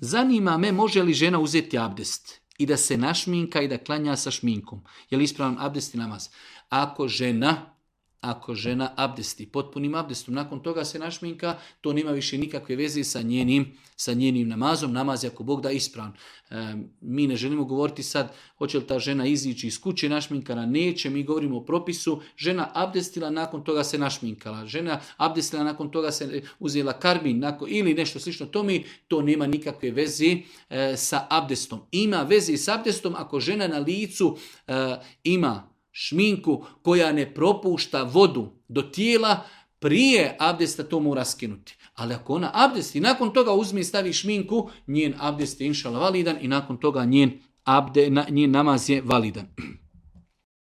Zanima me može li žena uzeti abdest i da se našminka i da klanja sa šminkom. Je li ispravan abdest i namaz? Ako žena abdesti potpunim abdestom, nakon toga se našminka, to nema više nikakve veze sa njenim namazom. Namaz je ako Bog da ispravan. Mi ne želimo govoriti sad hoće li ta žena izići iz kuće našminkana, neće, mi govorimo o propisu. Žena abdestila, nakon toga se našminkala. Žena abdestila, nakon toga se uzela karbin ili nešto slično tome, to nema nikakve veze sa abdestom. Ima veze s abdestom ako žena na licu ima šminku koja ne propušta vodu do tijela, prije abdesta to mora skinuti. Ali ako ona abdesti, nakon toga uzme i stavi šminku, njen abdest je inšala validan i nakon toga njen namaz je validan.